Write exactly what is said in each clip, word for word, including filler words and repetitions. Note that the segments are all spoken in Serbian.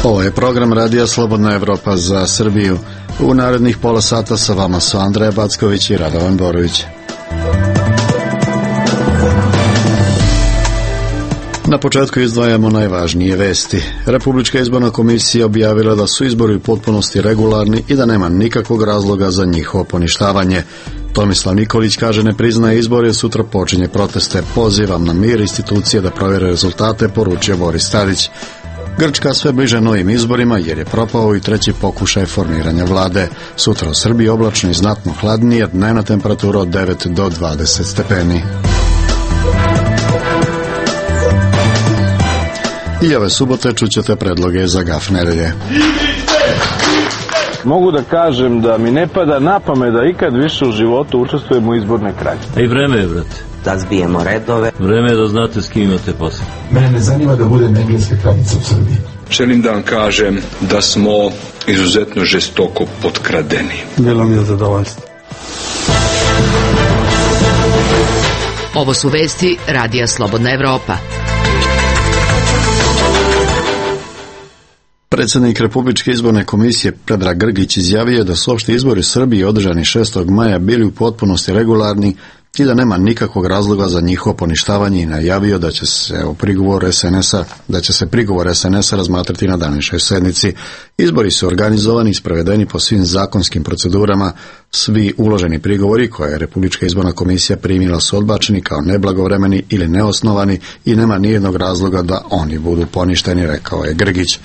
Ovo je program Radija Slobodna Evropa za Srbiju. U narednih pola sata sa vama su Andreja Backović i Radovan Borović. Na početku izdvajamo najvažnije vesti. Republička izborna komisija objavila da su izbori u potpunosti regularni i da nema nikakvog razloga za njihovo poništavanje. Tomislav Nikolić kaže ne priznaje izbore, sutra počinje proteste. Pozivam na mir institucije da provjere rezultate, poručio Boris Tadić. Grčka sve bliže novim izborima jer je propao i treći pokušaj formiranja vlade. Sutra u Srbiji oblačno i znatno hladnije, dnevna temperatura od devet do dvadeset stepeni. I ove subote čućete predloge za gaf nedelje. Mogu da kažem da mi ne pada na pamet da ikad više u životu učestvujem u izbornoj krađi. I vreme je, brate. Da zbijemo redove. Vreme je da znate s kim imate posao. Mene ne zanima da budem engleska kraljica u Srbiji. Želim da vam kažem da smo izuzetno žestoko potkradeni. Bilo mi je zadovoljstvo. Ovo su vesti Radija Slobodna Evropa. Predsjednik Republičke izborne komisije Predrag Grgić izjavio da su opšti izbori u Srbiji održani šestog maja bili u potpunosti regularni i da nema nikakvog razloga za njihovo poništavanje i najavio da će se o prigovor es en es a da će se prigovor es en es a razmatrati na današnjoj sednici. Izbori su organizovani i sprovedeni po svim zakonskim procedurama. Svi uloženi prigovori koje je Republička izborna komisija primila su odbačeni kao neblagovremeni ili neosnovani i nema nijednog razloga da oni budu poništeni, rekao je Grgić.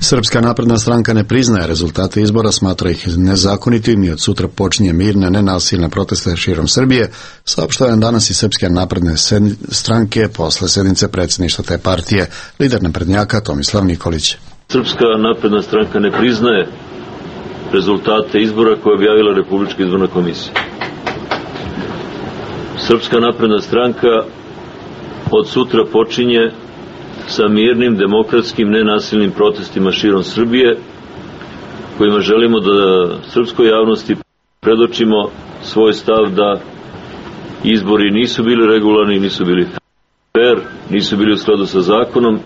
Srpska napredna stranka ne priznaje rezultate izbora, smatra ih nezakonitim i od sutra počinje mirne, nenasilne proteste širom Srbije, saopštava danas i Srpske napredne stranke posle sednice predsjedništva te partije, lider naprednjaka Tomislav Nikolić. Srpska napredna stranka ne priznaje rezultate izbora koje je objavila Republička izborna komisija. Srpska napredna stranka od sutra počinje sa mirnim, demokratskim, nenasilnim protestima širom Srbije, kojima želimo da srpskoj javnosti predočimo svoj stav da izbori nisu bili regularni, nisu bili fair, nisu bili u skladu sa zakonom.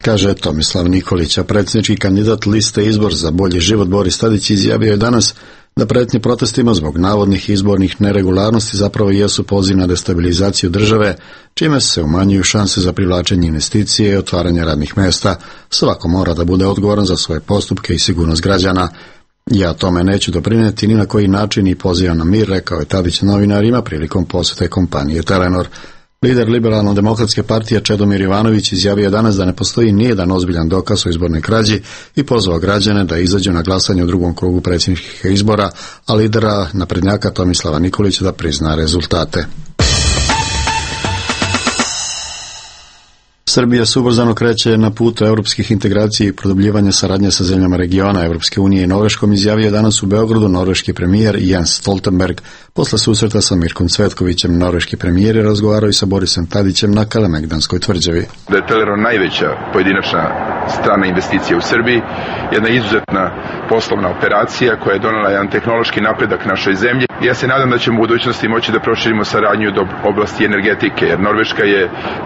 Kaže Tomislav Nikolić, a predsjednički kandidat liste Izbor za bolji život Boris Tadić izjavio je danas da pretnje protestima zbog navodnih izbornih neregularnosti zapravo jesu poziv na destabilizaciju države, čime se umanjuju šanse za privlačenje investicije i otvaranje radnih mjesta. Svako mora da bude odgovoran za svoje postupke i sigurnost građana. Ja tome neću doprinijeti ni na koji način i pozivam na mir, rekao je Tadić novinarima prilikom posjete kompanije Telenor. Lider Liberalno-demokratske partije Čedomir Jovanović izjavio je danas da ne postoji nijedan ozbiljan dokaz o izbornoj krađi i pozvao građane da izađu na glasanje u drugom krugu predsjedničkih izbora, a lidera naprednjaka Tomislava Nikolića da prizna rezultate. Srbija se ubrzano kreće na putu europskih integracija i produbljivanja saradnje sa zemljama regiona Evropske unije i Norveškom, izjavio je danas u Beogradu norveški premijer Jens Stoltenberg. Posle susreta sa Mirkom Cvetkovićem, norveški premijer je razgovarao i sa Borisom Tadićem na Kalemegdanskoj tvrđavi. Da je Telenor najveća pojedinačna strana investicija u Srbiji, jedna izuzetna poslovna operacija koja je donela jedan tehnološki napredak našoj zemlji. Ja se nadam da ćemo u budućnosti moći da proširimo saradnju do oblasti energetike, jer Norveška je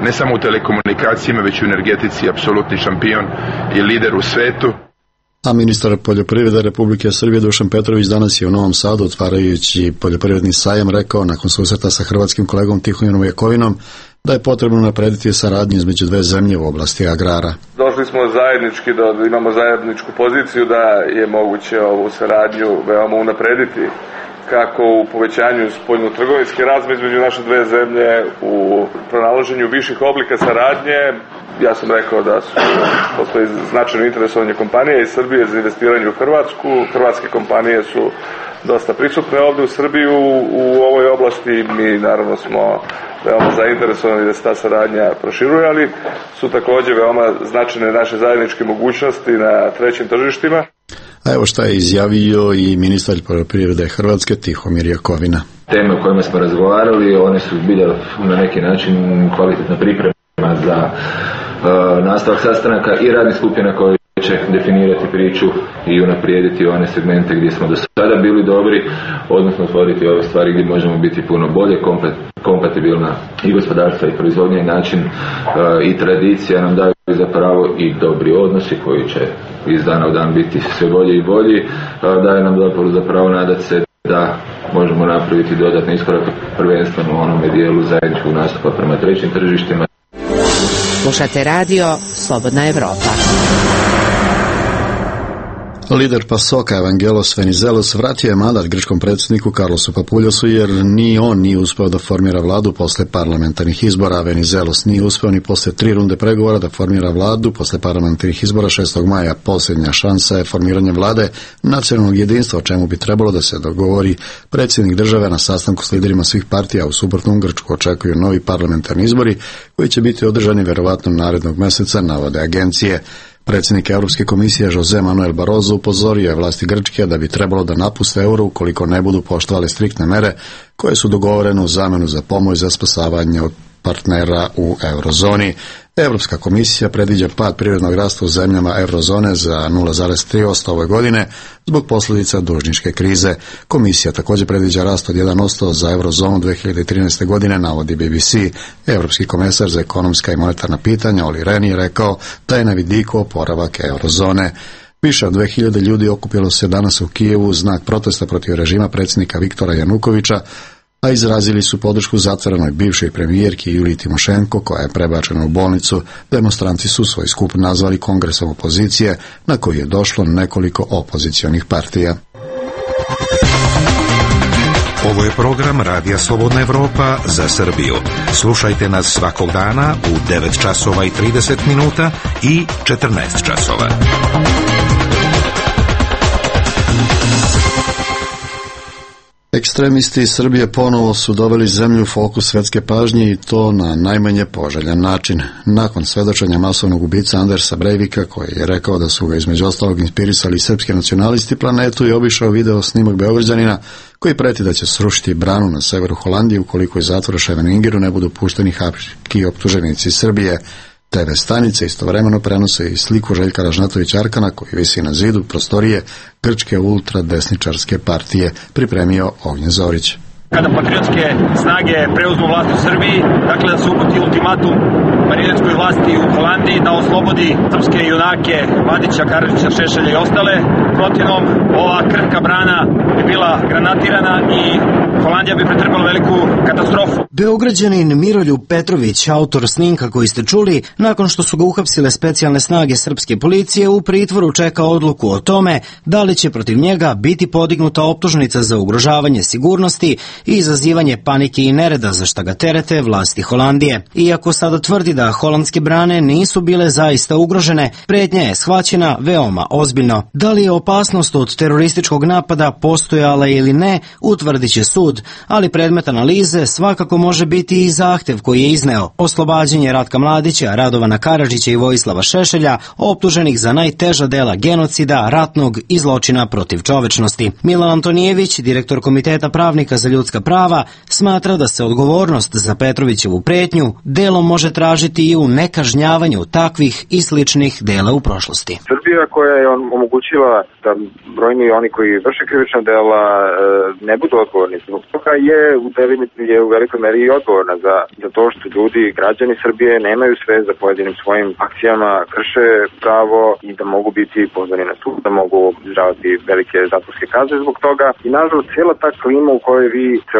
ne samo u telekomunikacijama, već u energetici apsolutni šampion i lider u svetu. A ministar poljoprivrede Republike Srbije Dušan Petrović danas je u Novom Sadu, otvarajući poljoprivredni sajam, rekao nakon susreta sa hrvatskim kolegom Tihomirom Jakovinom da je potrebno naprediti saradnju između dve zemlje u oblasti agrara. Došli smo zajednički, da imamo zajedničku poziciju da je moguće ovu saradnju veoma unaprediti, kako u povećanju spoljno-trgovinske razmjene između naše dve zemlje, u pronalaženju viših oblika saradnje. Ja sam rekao da su, postoji značajno interesovanje kompanije iz Srbije za investiranje u Hrvatsku. Hrvatske kompanije su dosta prisutne ovdje u Srbiju u ovoj oblasti. Mi naravno smo veoma zainteresovani da se ta saradnja proširuje, ali su također veoma značajne naše zajedničke mogućnosti na trećim tržištima. A evo šta je izjavio i ministar poljoprivrede Hrvatske Tihomir Jakovina. Teme o kojima smo razgovarali, one su bile na neki način kvalitetna priprema za uh, nastavak sastanaka i radnih skupina koje će definirati priču i unaprijediti one segmente gdje smo do sada bili dobri, odnosno otvoriti ove stvari gdje možemo biti puno bolje, kompatibilna i gospodarstva i proizvodnja i način uh, i tradicija nam daju zapravo i dobri odnosi koji će iz dana u dan biti sve bolji i bolji, daje nam zapravo nadati se da možemo napraviti dodatne iskorake prvenstveno u onome dijelu zajedničkog nastupa prema trećim tržištima. Slušate radio Slobodna Evropa. Lider PASOK-a Evangelos Venizelos vratio je mandat grčkom predsjedniku Karlosu Papuljosu jer ni on nije uspeo da formira vladu posle parlamentarnih izbora. Venizelos nije uspeo ni posle tri runde pregovora da formira vladu posle parlamentarnih izbora šestog maja. Posljednja šansa je formiranje vlade nacionalnog jedinstva, o čemu bi trebalo da se dogovori predsjednik države na sastanku s liderima svih partija. U suprotnom Grčku očekuju novi parlamentarni izbori koji će biti održani verovatno narednog meseca, navode agencije. Predsjednik Europske komisije Jose Manuel Barroso upozorio je vlasti Grčke da bi trebalo da napuste euro ukoliko ne budu poštovali striktne mere koje su dogovorene u zamenu za pomoć za spasavanje od partnera u eurozoni. Europska komisija predviđa pad privrednog rasta u zemljama eurozone za nula zarez tri posto ove godine zbog posljedica dužničke krize. Komisija također predviđa rast od jedan posto za eurozonu dve hiljade trinaeste. godine, navodi B B C. Europski komesar za ekonomska i monetarna pitanja Olli Rehn je rekao da je na vidiku oporavak eurozone. Više od dve hiljade ljudi okupilo se danas u Kijevu u znak protesta protiv režima predsjednika Viktora Janukovića, a izrazili su podršku zatvorenoj bivšoj premijerki Juliji Timošenko, koja je prebačena u bolnicu. Demonstranti su svoj skup nazvali kongresom opozicije, na koji je došlo nekoliko opozicionih partija. Ovo je program Radija Slobodna Evropa za Srbiju. Slušajte nas svakog dana u devet časova i trideset minuta i četrnaest časova. Ekstremisti iz Srbije ponovo su doveli zemlju u fokus svetske pažnje i to na najmanje poželjan način. Nakon svedočenja masovnog ubica Andersa Breivika, koji je rekao da su ga između ostalog inspirisali srpski nacionalisti, Planetu je obišao video snimak Beograđanina koji preti da će srušiti branu na severu Holandije ukoliko iz zatvora Ševeningeru ne budu pušteni hapški optuženici iz Srbije. Te ve stanice istovremeno prenose i sliku Željka Ražnatovića Arkana koji visi na zidu prostorije grčke ultradesničarske partije, pripremio Ognjen Zorić. Kada patriotske snage preuzmu vlast u Srbiji, dakle da se uputi ultimatum marionetskoj vlasti u Holandiji da oslobodi srpske junake Mladića, Karadžića, Šešelja i ostale. Protivnom, ova krhka brana bi bila granatirana i Holandija bi pretrpela veliku katastrofu. Beograđanin Miroljub Petrović, autor snimka koji ste čuli, nakon što su ga uhapsile specijalne snage srpske policije, u pritvoru čeka odluku o tome da li će protiv njega biti podignuta optužnica za ugrožavanje sigurnosti i izazivanje panike i nereda, za šta ga terete vlasti Holandije. Iako sada tvrdi da holandske brane nisu bile zaista ugrožene, pretnja je shvaćena veoma ozbiljno. Da li je opasnost od terorističkog napada postojala ili ne, utvrdit će sud, ali predmet analize svakako može biti i zahtev koji je izneo oslobađanje Ratka Mladića, Radovana Karadžića i Vojislava Šešelja, optuženih za najteža dela genocida, ratnog i zločina protiv čovečnosti. Milan Antonijević, direktor Komiteta pravnika za ljudska prava, smatra da se odgovornost za Petrovićevu pretnju delom može tražiti i u nekažnjavanju takvih i sličnih dela u prošlosti. Srbija koja je omogućila da brojni oni koji vrše krivična dela ne budu odgovorni zbog toga je u, je u velikoj meri i odgovorna za, za to što ljudi, građani Srbije nemaju sve za pojedinim svojim akcijama, krše pravo i da mogu biti pozvani na sud, da mogu izdržavati velike zatvorske kazne zbog toga. I nažalost, cijela ta klima u kojoj vi se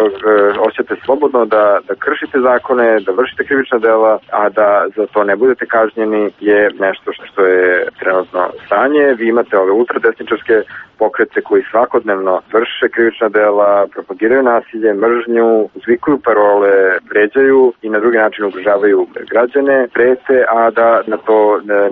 osjećate slobodno da, da kršite zakone, da vršite krivična dela, a da za to ne budete kažnjeni je nešto što je trenutno stanje. Vi imate ove ultradesničarske pokrete koji svakodnevno vrše krivična dela, propagiraju nasilje, mržnju, uzvikuju parole, vređaju i na drugi način ugrožavaju građane, prete, a da na to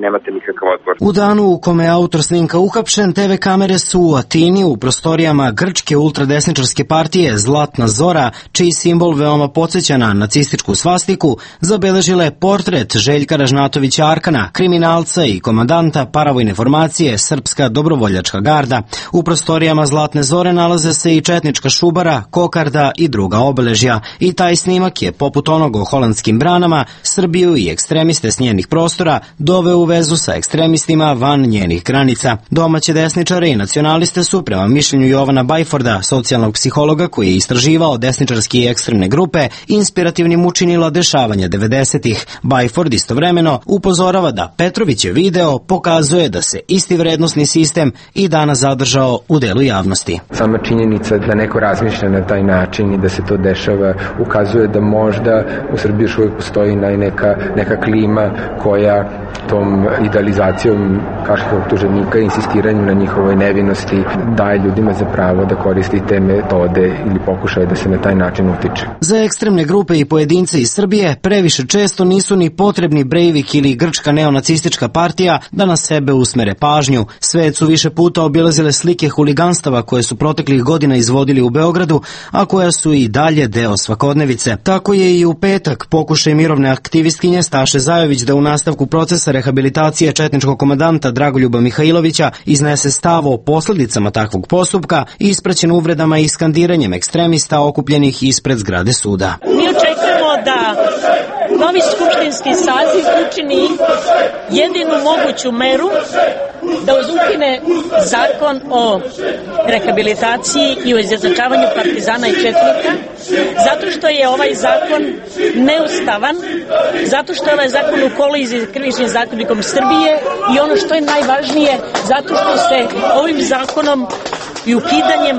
nemate nikakav odgovor. U danu u kome je autor snimka uhapšen, te ve kamere su u Atini u prostorijama grčke ultradesničarske partije Zlatna Zora, čiji simbol veoma podsjeća na nacističku svastiku, zabeležile portret Željka Ražnatovića Arkana, kriminalca i komandanta paravojne formacije Srpska dobrovoljačka garda. U prostorijama Zlatne Zore nalaze se i četnička šubara, kokarda i druga obeležja i taj snimak je, poput onog o holandskim branama, Srbiju i ekstremiste s njenih prostora doveo u vezu sa ekstremistima van njenih granica. Domaće desničare i nacionaliste su, prema mišljenju Jovana Bajforda, socijalnog psihologa koji je istraživao desničarske i ekstremne grupe, inspirativnim učinila dešavanja devedesetih. Bajford istovremeno upozorava da Petrovićev video pokazuje da se isti vrednosni sistem i danas zadržao u delu javnosti. Sama činjenica da neko razmišlja na taj način i da se to dešava ukazuje da možda u Srbiji još uvijek postoji neka, neka klima koja tom idealizacijom kaškog optuženika i insistiranjem na njihovoj nevinosti daje ljudima za pravo da koristi te metode ili pokušaje da se na taj način utiče. Za ekstremne grupe i pojedince iz Srbije previše često nisu ni potrebni Breivik ili grčka neonacistička partija da na sebe usmere pažnju. Svet su više puta obilazile slike huliganstava koje su proteklih godina izvodili u Beogradu, a koja su i dalje deo svakodnevice. Tako je i u petak pokušaj mirovne aktivistkinje Staše Zajović da u nastavku procesa rehabilitacije četničkog komandanta Dragoljuba Mihajlovića iznese stav o posledicama takvog postupka, ispraćen uvredama i skandiranjem ekstremista okupljenih ispred zgrade suda. Mi očekujemo da novi skupštinski saziv učini jedinu moguću meru da ukine zakon o rehabilitaciji i o izjednačavanju partizana i četnika, zato što je ovaj zakon neustavan, zato što je ovaj zakon u koliziji s Krivičnim zakonikom Srbije i ono što je najvažnije, zato što se ovim zakonom i ukidanjem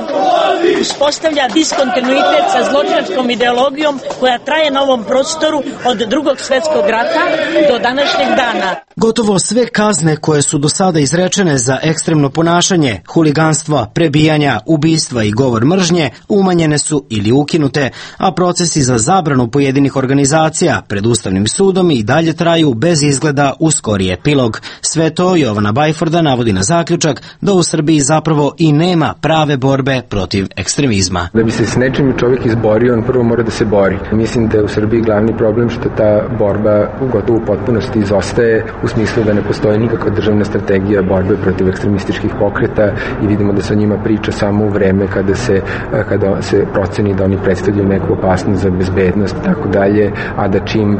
uspostavlja diskontinuitet sa zločinačkom ideologijom koja traje na ovom prostoru od drugog svetskog rata do današnjeg dana. Gotovo sve kazne koje su do sada izrečene za ekstremno ponašanje, huliganstva, prebijanja, ubistva i govor mržnje umanjene su ili ukinute, a procesi za zabranu pojedinih organizacija pred Ustavnim sudom i dalje traju bez izgleda u skori epilog. Sve to Jovana Bajforda navodi na zaključak da u Srbiji zapravo i nema prave borbe protiv ekstremizma. Da bi se s nečim čovjek izborio, on prvo mora da se bori. Mislim da je u Srbiji glavni problem što ta borba gotovo u potpunosti izostaje, u smislu da ne postoji nikakva državna strategija borbe protiv ekstremističkih pokreta i vidimo da se o njima priča samo u vreme kada se, kada se proceni da oni predstavljaju neku opasnost za bezbednost i tako dalje, a da čim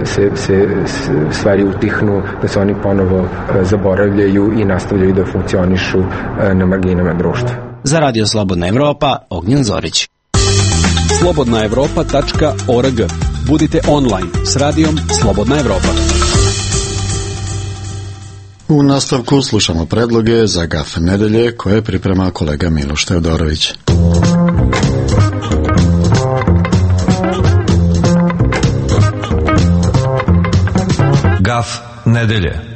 se, se stvari utihnu, da se oni ponovo zaboravljaju i nastavljaju da funkcionišu na marginama društva. Za Radio Slobodna Evropa, Ognjen Zorić. slobodna evropa tačka org. Budite online s radijom Slobodna Evropa. U nastavku slušamo predloge za Gaf nedelje koje priprema kolega Miloš Teodorović. Gaf nedelje.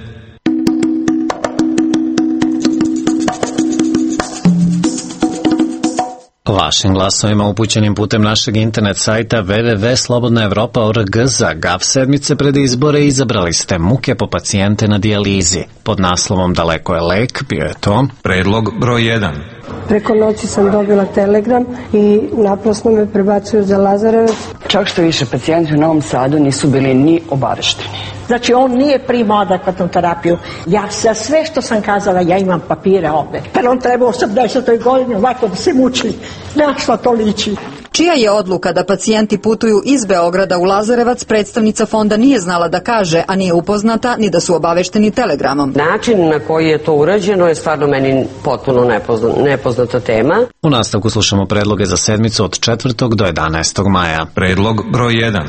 Vašim glasovima upućenim putem našeg internet sajta w w w tačka slobodna evropa tačka org za Gaf sedmice pred izbore izabrali ste muke po pacijente na dijalizi. Pod naslovom Daleko je lek bio je to predlog broj jedan. Preko noći sam dobila telegram i naprasno me prebacuju za Lazarevac. Čak što više, pacijenti u Novom Sadu nisu bili ni obavešteni. Znači, on nije primao adekvatnu terapiju. Ja sa sve što sam kazala, ja imam papire ovde. Pa on treba u osamdesetoj godini ovako da se muči. Na što to liči? Čija je odluka da pacijenti putuju iz Beograda u Lazarevac, predstavnica fonda nije znala da kaže, a nije upoznata ni da su obavešteni telegramom. Način na koji je to urađeno je stvarno meni potpuno nepozna, nepoznata tema. U nastavku slušamo predloge za sedmicu od četvrtog do jedanaestog maja. Predlog broj jedan.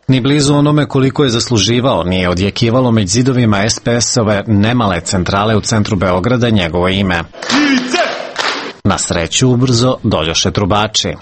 Ni blizu onome koliko je zasluživao nije odjekivalo među zidovima es pe es-ove nemale centrale u centru Beograda njegovo ime. Na sreću ubrzo doljoše trubači.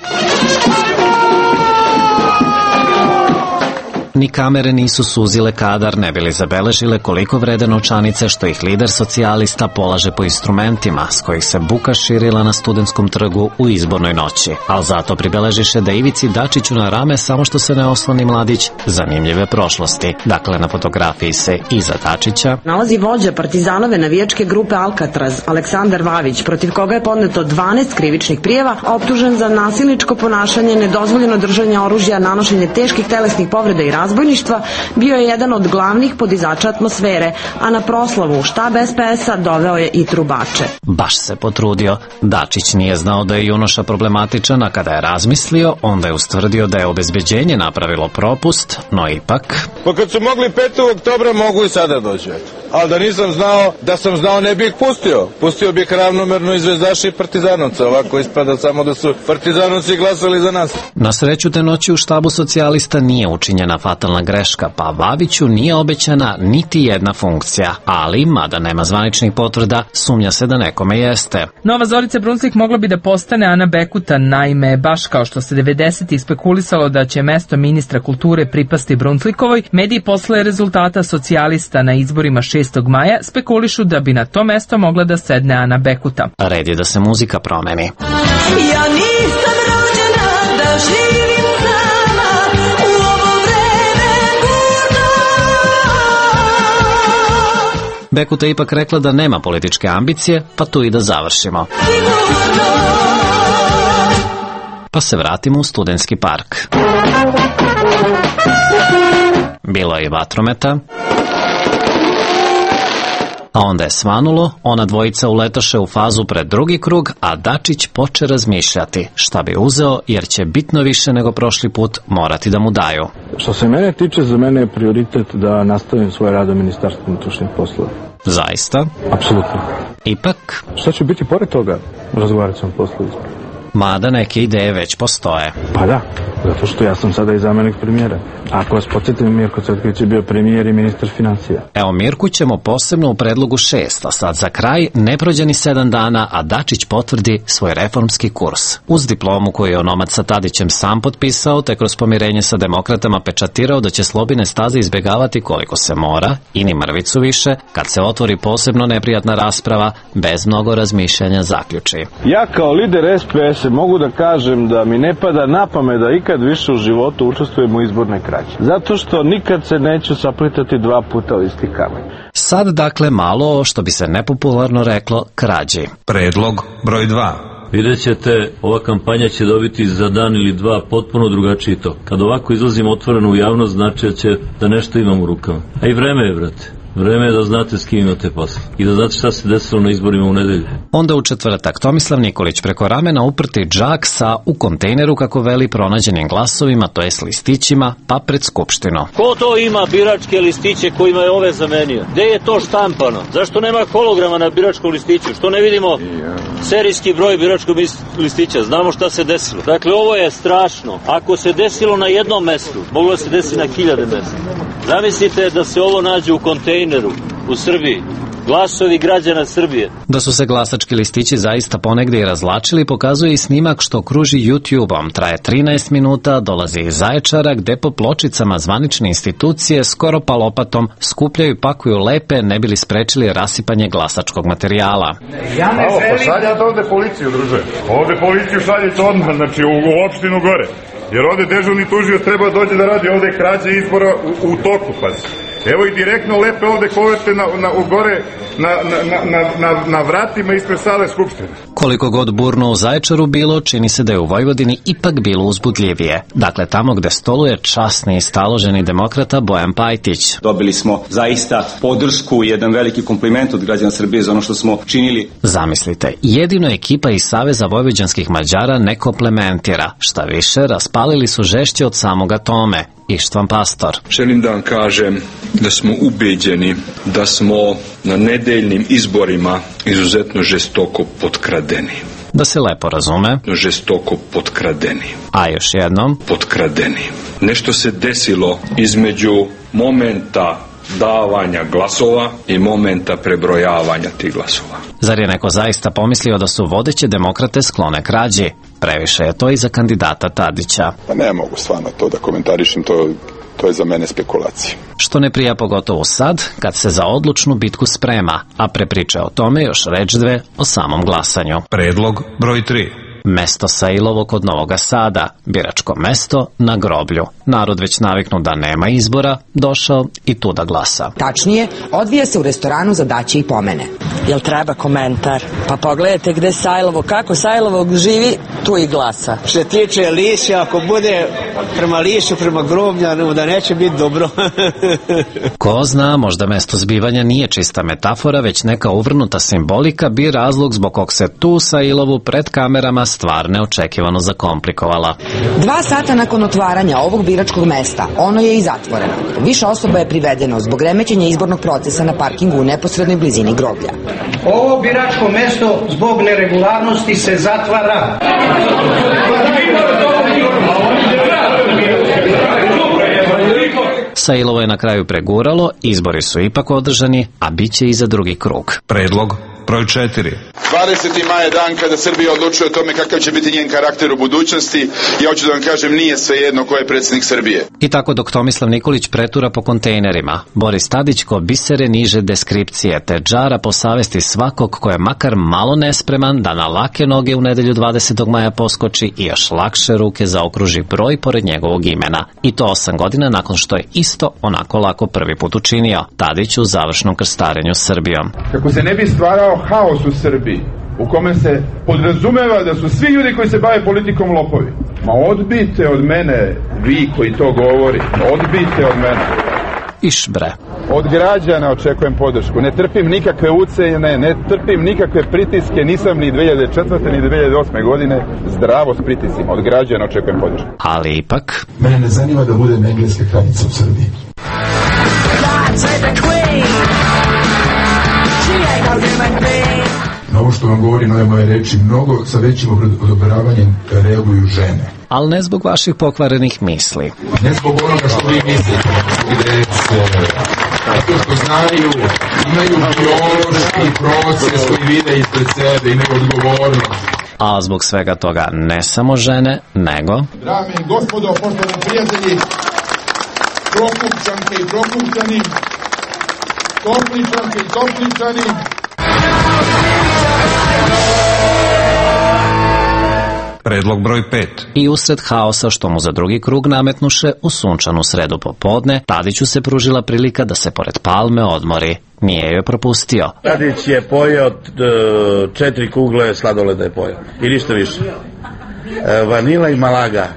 Ni kamere nisu suzile kadar, ne bili zabeležile koliko vrede novčanice što ih lider socijalista polaže po instrumentima s kojih se buka širila na Studentskom trgu u izbornoj noći. Ali zato pribeležiše da Ivici Dačiću na rame samo što se ne osloni mladić zanimljive prošlosti. Dakle, na fotografiji se iza Dačića nalazi vođa partizanove navijačke grupe Alcatraz, Aleksandar Vavić, protiv koga je podneto dvanaest krivičnih prijava, optužen za nasilničko ponašanje, nedozvoljeno držanje oružja, nanošenje teških telesnih povreda i razbojništva, bio je jedan od glavnih podizača atmosfere, a na proslavu u štab es pe es a doveo je i trubače. Baš se potrudio. Dačić nije znao da je junoša problematičan, a kada je razmislio, onda je ustvrdio da je obezbeđenje napravilo propust, no ipak... Pa kad su mogli petog oktobra, mogu i sada doći. Ali da nisam znao, da sam znao ne bih pustio. Pustio bih ravnomerno i zvezdaši i partizanovca. Ovako ispada samo da su partizanovci glasali za nas. Na sreću te noći u štabu socijalista nije učinjena fatalna greška, pa Vaviću nije obećana niti jedna funkcija. Ali, mada nema zvaničnih potvrda, sumnja se da nekome jeste. Nova Zorica Brunslik mogla bi da postane Ana Bekuta, naime, baš kao što se devedesetih spekulisalo da će mesto ministra kulture pripasti Brunslikovoj, mediji posle rezultata socijalista na izborima šestog maja spekulišu da bi na to mesto mogla da sedne Ana Bekuta. Red je da se muzika promeni. Ja nisam rođena da živim sama u ovo vreme burno. Bekuta je ipak rekla da nema političke ambicije, pa tu i da završimo. Pa se vratimo u Studentski park. Bilo je i vatrometa, a onda je svanulo, ona dvojica uletoše u fazu pred drugi krug, a Dačić poče razmišljati šta bi uzeo, jer će bitno više nego prošli put morati da mu daju. Što se mene tiče, za mene je prioritet da nastavim svoj rad u Ministarstvu unutrašnjih poslova. Zaista? Apsolutno. Ipak? Šta će biti pored toga? Razgovarat ćemo posle izbora. Mada neke ideje već postoje. Pa da, zato što ja sam sada i zamenik premijera. Ako vas podsjetim, Mirko Cvetković je bio premijer i ministar financija. Evo, Mirku ćemo posebno u predlogu šest, a sad za kraj ne prođe ni sedam dana, a Dačić potvrdi svoj reformski kurs. Uz diplomu koju je onomad sa Tadićem sam potpisao, te kroz pomirenje sa demokratama pečatirao da će slobine staze izbegavati koliko se mora, i ni mrvicu više, kad se otvori posebno neprijatna rasprava, bez mnogo razmišljanja zaključi. Ja kao lider es pe es mogu da kažem da mi ne pada na pamet da ikad više u životu učestvujem u izbornoj krađi. Zato što nikad se neću saplitati dva puta u isti kamen. Sad dakle malo, što bi se nepopularno reklo, krađi. Predlog broj dva. Vidjet ćete, ova kampanja će dobiti za dan ili dva potpuno drugačiji tok. Kad ovako izlazimo otvoreno u javnost, znači će da nešto imam u rukama. A i vreme je, brate. Vreme je da znate s kim imate posla i da znate šta se desilo na izborima u nedelju. Onda u četvrtak Tomislav Nikolić preko ramena uprti džak sa u kontejneru, kako veli, pronađenim glasovima, to jest listićima, pa pred Skupštinu. Ko to ima biračke listiće kojima je ove zamenio? Gde je to štampano? Zašto nema holograma na biračkom listiću? Što ne vidimo serijski broj biračkog listića? Znamo šta se desilo. Dakle, ovo je strašno. Ako se desilo na jednom mestu, moglo se desiti na hiljade mesta. Zamislite da se ovo nađe u kontejneru u Srbiji. Glasovi građana Srbije. Da su se glasački listići zaista ponegde i razlačili, pokazuje i snimak što kruži YouTube-om. Traje trinaest minuta, dolazi iz Zaječara, gde po pločicama zvanične institucije skoro pa lopatom skupljaju i pakuju lepe, ne bili sprečili rasipanje glasačkog materijala. Ja ne želim... Pa šaljate ovde policiju, druže. Ovde policiju šaljete odmah, znači u, u opštinu gore. Jer ovde dežurni tužioc treba dođe da radi ovde krađe izbora u, u toku, pazi. Evo i direktno lepe ovde koverte na, na, u gore na, na, na, na, na vratima ispred sale Skupštine. Koliko god burno u Zaječaru bilo, čini se da je u Vojvodini ipak bilo uzbudljivije. Dakle, tamo gde stoluje časni i staloženi demokrata Bojan Pajtić. Dobili smo zaista podršku i jedan veliki kompliment od građana Srbije za ono što smo činili. Zamislite, jedino ekipa iz Saveza vojvođanskih Mađara ne komplementira. Šta više, raspalili su žešće od samoga Tome. Ištvan Pastor. Želim da vam kažem da smo ubeđeni da smo na nedeljnim izborima izuzetno žestoko potkradeni. Da se lepo razume. Žestoko potkradeni. A još jednom. Potkradeni. Nešto se desilo između momenta davanja glasova i momenta prebrojavanja tih glasova. Zar je neko zaista pomislio da su vodeće demokrate sklone krađi? Previše je to i za kandidata Tadića. Pa ne mogu stvarno to da komentarišem, to, to je za mene spekulacija. Što ne prija pogotovo sad, kad se za odlučnu bitku sprema, a pre priče o tome još reč dve o samom glasanju. Predlog broj tri. Mesto Sailovo kod Novoga Sada, biračko mesto na groblju. Narod već naviknu da nema izbora, došao i tu da glasa. Tačnije, odvija se u restoranu za daće i pomene. Jel treba komentar? Pa pogledajte gde Sajlovo, kako Sajlovo živi, tu i glasa. Što se tiče Liša, ako bude prema Lišu, prema Grobljanu, da neće biti dobro. Ko zna, možda mesto zbivanja nije čista metafora, već neka uvrnuta simbolika bi razlog zbog kog se tu Sailovu pred kamerama stvar neočekivano zakomplikovala. Dva sata nakon otvaranja ovog biračkog mesta, ono je i zatvoreno. Više osoba je privedeno zbog remećenja izbornog procesa na parkingu u neposrednoj blizini groblja. Ovo biračko mesto zbog neregularnosti se zatvara. Sailovo je na kraju preguralo, izbori su ipak održani, a bit će i za drugi krug. Predlog broj četiri. dvadeseti maj je dan kada Srbija odlučuje o tome kakav će biti njen karakter u budućnosti. Ja hoću da vam kažem, nije svejedno ko je predsjednik Srbije. I tako dok Tomislav Nikolić pretura po kontejnerima, Boris Tadić ko bisere niže deskripcije te džara po savesti svakog ko je makar malo nespreman da na lake noge u nedelju dvadesetog maja poskoči i još lakše ruke zaokruži broj pored njegovog imena. I to osam godina nakon što je isto onako lako prvi put učinio, Tadić u završnom krstarenju Srbijom. Kako se ne bi stvarao haos u Srbiji, u kome se podrazumeva da su svi ljudi koji se bave politikom lopovi. Ma odbijte od mene, vi koji to govorite, odbijte od mene. Iš bre. Od građana očekujem podršku. Ne trpim nikakve ucene, ne trpim nikakve pritiske, nisam ni dve hiljade četvrte ni dve hiljade osme godine zdravo s pritisima. Od građana očekujem podršku. Ali ipak... Mene ne zanima da budem engleska kraljica u Srbiji. Na ovo što vam govori, nove moje reči, mnogo sa većim odobravanjem reaguju žene. Ali ne zbog vaših pokvarenih misli. Ne zbog onoga što vi mislite, gde se, zato što znaju, imaju biološki proces koji vide ispred sebe, imaju odgovornost. A zbog svega toga ne samo žene, nego... Dame i gospodo, poštovani prijatelji, Prokupčanke i Prokupčani, Topličanke i Topličani, Predlog broj pet. I usred haosa što mu za drugi krug nametnuše u sunčanu sredu popodne, Tadiću se pružila prilika da se pored palme odmori. Nije joj propustio. Tadić je pojeo četiri kugle sladoleda je pojeo. I ništa više. Vanila i Malaga.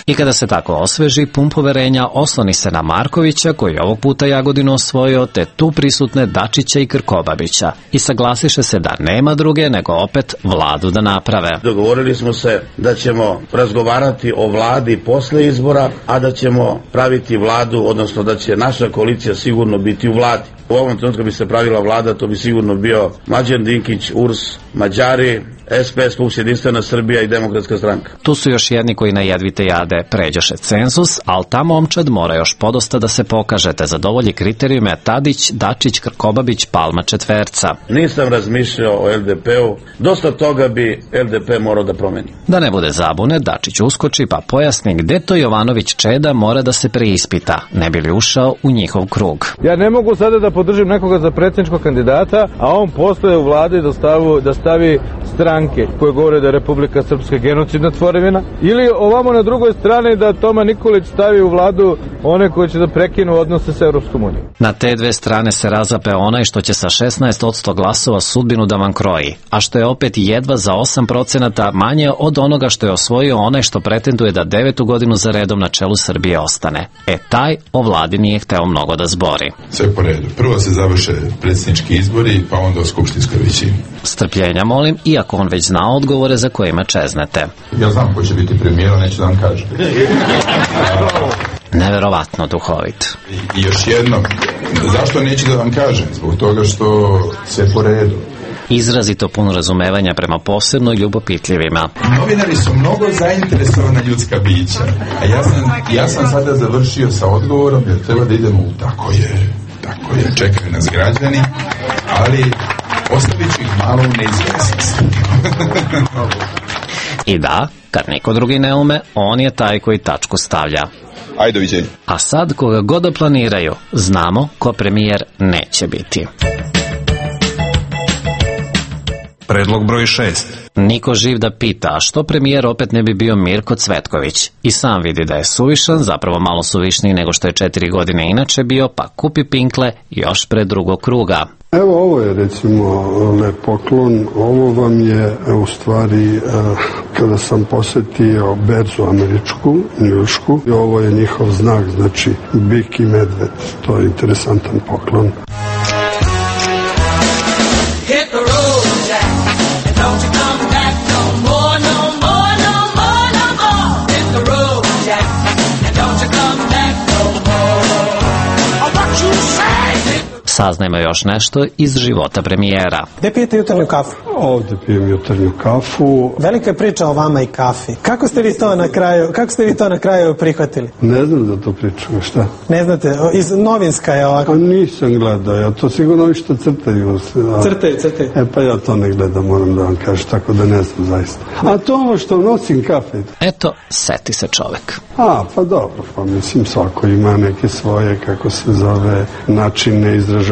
I kada se tako osveži, pun poverenja osloni se na Markovića, koji ovog puta Jagodinu osvojio, te tu prisutne Dačića i Krkobabića. I saglasiše se da nema druge, nego opet vladu da naprave. Dogovorili smo se da ćemo razgovarati o vladi posle izbora, a da ćemo praviti vladu, odnosno da će naša koalicija sigurno biti u vladi. U ovom trenutku bi se pravila vlada, to bi sigurno bio Mlađan Dinkić, U R S, Mađari, S P S, P U S, Jedinstvena Srbija i Demokratska stranka. Tu su još jedni koji na jedvite jade pređoše cenzus, ali ta momčad mora još podosta da se pokaže, te zadovolji kriterijume Tadić, Dačić, Krkobabić, Palma četverca. Nisam razmišljao o L D P-u, dosta toga bi L D P morao da promeni. Da ne bude zabune, Dačić uskoči pa pojasni gde to Jovanović Čeda mora da se preispita, ne bi li ušao u njihov krug. Ja ne mogu sada da podržim nekoga za predsjedničkog kandidata, a on postoje u vladi da, stavu, da stavi stranke koje govore da je Republika Srpska genocidna tvorevina, ili ovamo na drugoj strani da Toma Nikolić stavi u vladu one koji će da prekinu odnose sa Europskom unijom. Na te dve strane se razape onaj što će sa šesnaest posto glasova sudbinu da vam kroji, a što je opet jedva za osam procenata manje od onoga što je osvojio onaj što pretenduje da devetu godinu za redom na čelu Srbije ostane. E taj o vladi nije hteo mnogo da zbori. Sve po redu. Prvo se završe predsjednički izbori, pa onda o skupštinskoj većini. Strpljenja molim, iako on već zna odgovore za kojima čeznete. Ja znam ko će biti premijer, neću da vam kažem. Neverovatno duhovit. I, I još jedno, zašto neću da vam kažem? Zbog toga što sve po redu. Izrazito puno razumevanja prema posebno ljubopitljivima. Novinari su mnogo zainteresovana ljudska bića, a ja sam, ja sam sada završio sa odgovorom jer treba da idemo u tako je, tako je, čekaju nas građani, ali ostavit ću ih malo u neizvjesnosti. I da, kad niko drugi ne ume, on je taj koji tačku stavlja. Ajde, doviđenja. A sad, koga god da planiraju, znamo ko premijer neće biti. Predlog broj šest. Niko živ da pita, a što premijer opet ne bi bio Mirko Cvetković? I sam vidi da je suvišan, zapravo malo suvišniji nego što je četiri godine inače bio, pa kupi pinkle još pre drugog kruga. Evo, ovo je recimo lep poklon. Ovo vam je u stvari kada sam posetio berzu američku, njušku, i ovo je njihov znak, znači bik i medved. To je interesantan poklon. Saznajmo još nešto iz života premijera. Gde pijete jutarnju kafu? Ovde pijem jutarnju kafu. Velika je priča o vama i kafi. Kako ste vi to na kraju, kako ste vi to na kraju prihvatili? Ne znam da to pričam, šta? Ne znate, iz novinska je ovako. A nisam gledao, ja to sigurno vi što crtaju. A... Crtaju, crtaju. E pa ja to ne gledam, moram da vam kažem, tako da ne znam zaista. A to ovo što nosim kafe. Eto, seti se čovek. A, pa dobro, pa mislim svako ima neke svoje, kako se zove, načine izražavanja.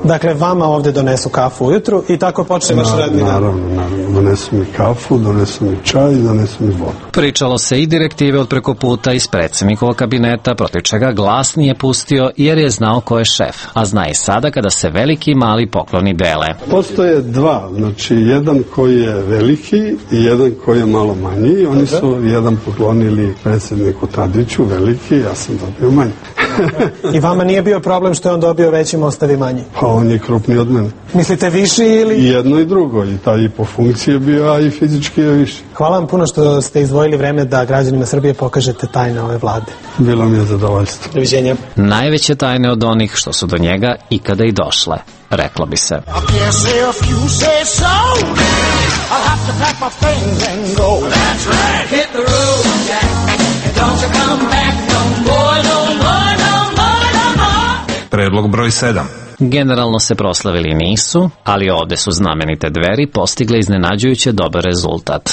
Dakle, vama ovde donesu kafu ujutru i tako počne vaš radni dan? Naravno, naravno. Donesu mi kafu, donesu mi čaj i donesu mi vodu. Pričalo se i direktive od preko puta iz predsjednikovog kabineta, protiv čega glas nije pustio jer je znao ko je šef, a zna i sada kada se veliki i mali pokloni dele. Postoje dva, znači jedan koji je veliki i jedan koji je malo manji. Oni su jedan poklonili predsjedniku Tadiću, veliki, ja sam dobio manji. I vama nije bio problem što je on dobio veći, ostavi manji? Pa on je krupniji od mene. Mislite viši ili? I jedno i drugo, i taj i po funkciji je bio, a i fizički je viši. Hvala vam puno što ste izdvojili vreme da građanima Srbije pokažete tajne ove vlade. Bilo mi je zadovoljstvo. Doviđenja. Najveće tajne od onih što su do njega ikada i došle, reklo bi se. Predlog broj sedam. Generalno se proslavili nisu, ali ovde su znamenite Dveri postigle iznenađujuće dobar rezultat.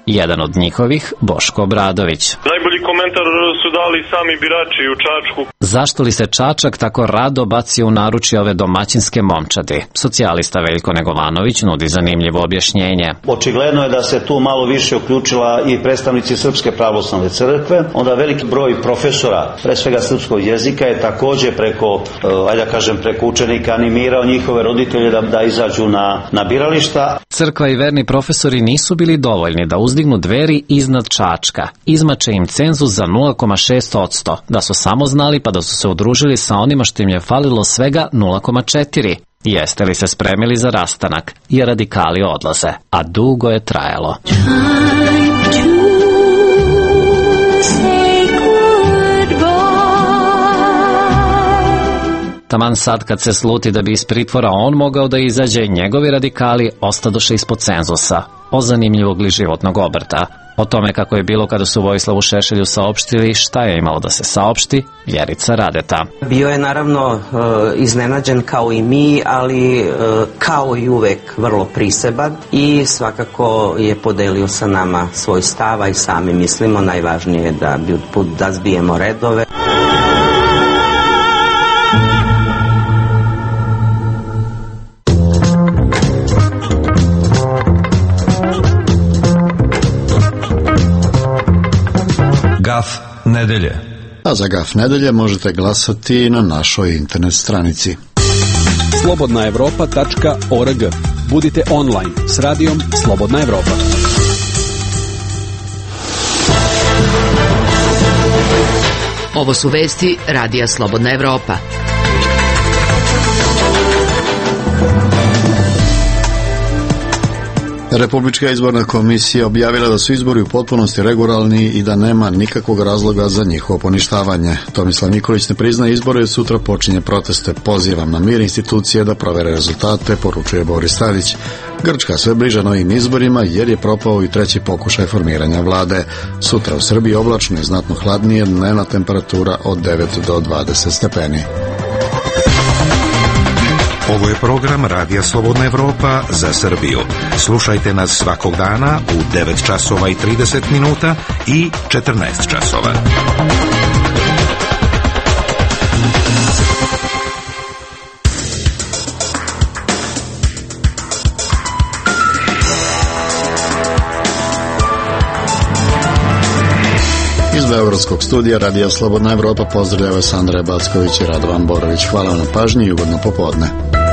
Jedan od njihovih, Boško Obradović. Najbolji komentar su dali sami birači u Čačku. Zašto li se Čačak tako rado bacio u naručje ove domaćinske momčadi? Socijalista Veljko Negovanović nudi zanimljivo objašnjenje. Očigledno je da se tu malo više uključila i predstavnici Srpske pravoslavne crkve, onda veliki broj profesora, pre svega srpskog jezika, je takođe preko, ajde da kažem, preko učenika animirao njihove roditelje da, da izađu na, na birališta. Crkva i verni profesori nisu bili dovoljni da uzdignu Dveri iznad Čačka. Izmače im cenzus za nula zarez šest posto. Da su samo znali pa da su se udružili sa onima što im je falilo svega nula zarez četiri. Jeste li se spremili za rastanak? Jer radikali odlaze. A dugo je trajalo. Taman sad kad se sluti da bi iz pritvora on mogao da izađe, njegovi radikali ostadoše ispod cenzusa. O zanimljivog li životnog obrta. O tome kako je bilo kada su Vojislavu Šešelju saopštili šta je imalo da se saopšti, Vjerica Radeta. Bio je naravno iznenađen kao i mi, ali kao i uvek vrlo priseban i svakako je podelio sa nama svoj stav, i sami mislimo najvažnije je da, da zbijemo redove. Gaf nedelje. A za Gaf nedelje možete glasati na našoj internet stranici. slobodna evropa tačka org. Budite online s radijom Slobodna Evropa. Ovo su vesti Radija Slobodna Evropa. Republička izborna komisija objavila da su izbori u potpunosti regularni i da nema nikakvog razloga za njihovo poništavanje. Tomislav Nikolić ne priznaje izbore i sutra počinje proteste. Pozivam na mir institucije da provere rezultate, poručuje Boris Tadić. Grčka sve bliža novim izborima jer je propao i treći pokušaj formiranja vlade. Sutra u Srbiji oblačno i znatno hladnije, dnevna temperatura od devet do dvadeset stepeni. Ovo je program Radija Slobodna Evropa za Srbiju. Slušajte nas svakog dana u devet časova i trideset minuta i četrnaest časova. Iz beogradskog studija Radija Slobodna Evropa pozdravlja vas Andreja Backović i Radovan Borović. Hvala vam na pažnji i ugodno popodne.